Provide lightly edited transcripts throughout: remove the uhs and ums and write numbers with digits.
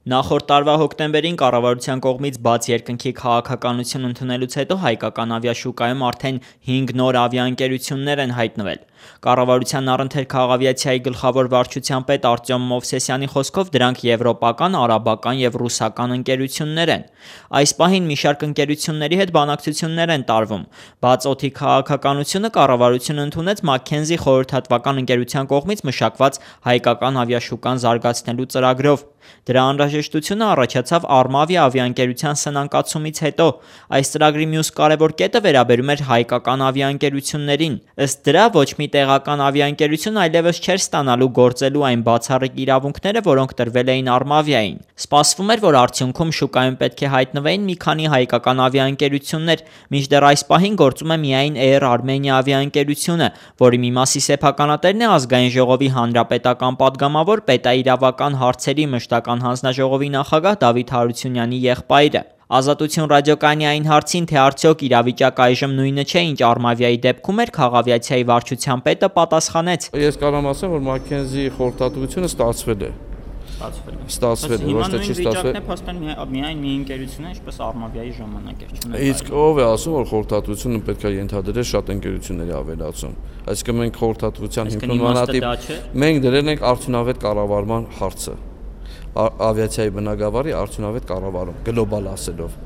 Նախորդ տարվա հոկտեմբերին կառավարության կողմից բաց երկնքի քաղաքականություն ընդունելուց հետո հայկական ավիաշուկայում արդեն 5 նոր ավիաընկերություններ են հայտնվել։ Կառավարության առընթեր քաղավիացիայի գլխավոր վարչության պետ Արտյոմ Մովսեսյանի խոսքով դրանք եվրոպական, արաբական եւ ռուսական ընկերություններ են։ Այս պահին մի շարք ընկերությունների հետ բանակցություններ են տարվում։ Բաց օդի քաղաքականությունը կառավարությունը ընդունեց Մաքքենզի խորհրդատվական ընկերության կողմից մշակված հայկական ավիաշուկան զարգացնելու ծրագրով։ Դրա անհրաժեշտությունը առաջացավ Արմավիա ավիաընկերության սնանկացումից հետո։ Այս ծրագրի մյուս կարևոր կետը վերաբերում էր հայկական ավիաընկերություններին։ Ըստ դրա ոչ մի տեղական ավիաընկերություն այլևս չէր ստանալու գործելու այն բացառիկ իրավունքները, որոնք տրվել էին Արմավիային։ Սպասվում էր, որ արդյունքում շուկայում պետք է հայտնվեին մի քանի հայկական ավիաընկերություններ, մինչդեռ այս պահին գործում է միայն Air Armenia ավիաընկերությունը, որի մի մասի սեփականատերն է Ազգային ժողովի հանրապետական падգամավոր պետաիրավական հարցերի մշտական հանձնաժողովի նախագահ Դավիթ Հարությունյանի եղբայրը։ Ազատություն ռադիոկայանի այն հարցին, թե արդյոք իրավիճակը այժմ նույնը չէ, ինչ Արմավիայի դեպքում էր, քաղավիացիայի վարչության պետը պատասխանեց. Ես կարող եմ ասեմ, որ Մաքքենզի խորհրդատվությունը ստացվել է։ Ստացվել է, ոչ թե չի ստացվել։ Փաստորեն միայն մի ընկերություն է, ինչպես Արմավիայի ժամանակ էր, չունենք։ Իսկ ով է ասում, որ խորհրդատվությունը պետք է ենթադրել շատ ընկերությունների ավելացում։ Այսինքն մենք խորհրդատվության հիմնական մենք դրել ենք արդյունավետ կառավարման հարցը։ Ավիացիայի բնագավառի արդյունավետ կառավարում, գլոբալ ասելով։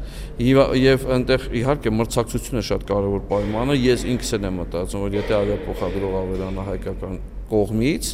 Եվ այնտեղ իհարկե մրցակցությունը շատ կարևոր պայման է, ես ինքս եմ մտածում, որ եթե ավիափոխադրող ավելանա հայկական կողմից,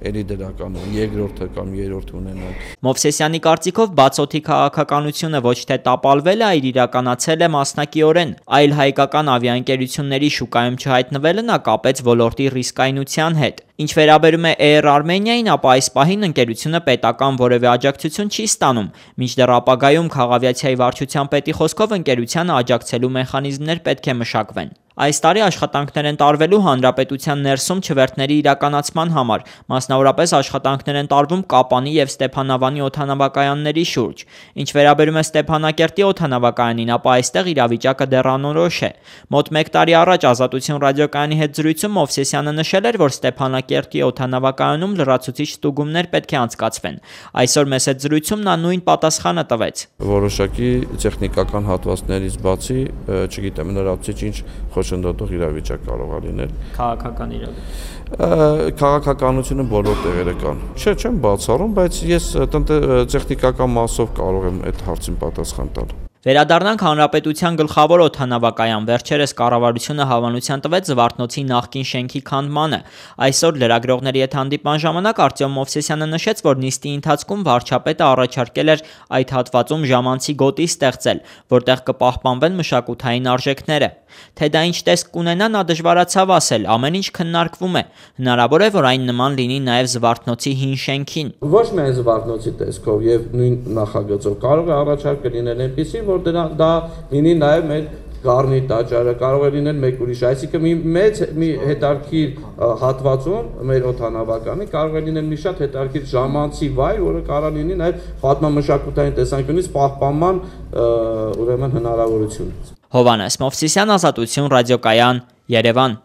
էլի դրական երկրորդը կամ երրորդը ունենալ։ Մովսեսյանի կարծիքով բաց օդի քաղաքականությունը ոչ թե տապալվել է, այլ իրականացել է մասնակիորեն, այլ հայկական ավիաընկերությունների շուկայում չհայտնվելը նա կապեց ոլորտի ռիսկայնության հետ։ Ինչ վերաբերում է Air Armenia-ին, ապա այս պահին ընկերությունը պետական որևէ աջակցություն չի ստանում, մինչդեռ ապագայում քաղավիացիայի վարչության պետի խոսքով ընկերությանը աջակցելու մեխանիզմներ պետք է մշակվեն։ Այս տարի աշխատանքներ են տարվելու հանրապետության ներսում չվերթների իրականացման համար, մասնավորապես աշխատանքներ են տարվում Կապանի եւ Ստեփանավանի օդանավակայանների շուրջ։ Ինչ վերաբերում է Ստեփանակերտի օդանավակայանին, ապա այստեղ իրավիճակը դեռ անորոշ է։ Մոտ 1 տարի առաջ Ազատություն ռադիոկայանի հետ զրույցում Մովսեսյանը նշել էր, որ Ստեփանակերտի օդանավակայանում լրացուցիչ ստուգումներ պետք է անցկացվեն։ Այսօր մեծ հետ զրույցում նա նույն պատասխանը տվեց։ Որոշակի տեխնիկական հատվածներից բացի, չգիտեմ, լրացուցիչ ինչ խոչընդոտող իրավիճակ կարող է լինել։ Քաղաքական իրավիճակ։ Քաղաքականությունը բոլոր տեղերը կան։ Չեմ բացառում, բայց ես տեխնիկական մասով կարող եմ այդ հարցին պատասխան տալ։ Վերադառնանք հանրապետության գլխավոր օդանավակայան։ Վերջերս կառավարությունը հավանության տվեց Զվարթնոցի նախկին շենքի քանդմանը։ Այսօր լրագրողների հետ հանդիպման ժամանակ Արտյոմ Մովսեսյանը նշեց, որ նիստի ընթացքում վարչապետը առաջարկել էր այդ հատվածում ժամանցի գոտի ստեղծել, որտեղ կպահպանվեն մշակութային արժեքները։ Թե դա ինչ տեսք կունենա, նա դժվարացավ ասել, ամեն ինչ քննարկվում է։ Հնարավոր է, որ այն նման լինի նաև Զվարթնոցի հին շենքին։ Ոչ միայն Զվարթնոցի տեսքով եւ նույն նախագծով կարող է առաջարկը լինել այնպեսի, որ դա լինի նաև մեր Գառնի տաճարը, կարող է լինել մեկ ուրիշ, այսինքն մի հետարքիր հատվածում մեր օդանավականի կարող է լինել մի շատ հետարքիր ժամանցի վայր, որը կարող լինի նաև պատմամշակութային տեսանկյունից պահպանման ուրեմն հնարավորություն։ Հովհաննես Մովսիսյան, Ազատություն ռադիոկայան, Երևան։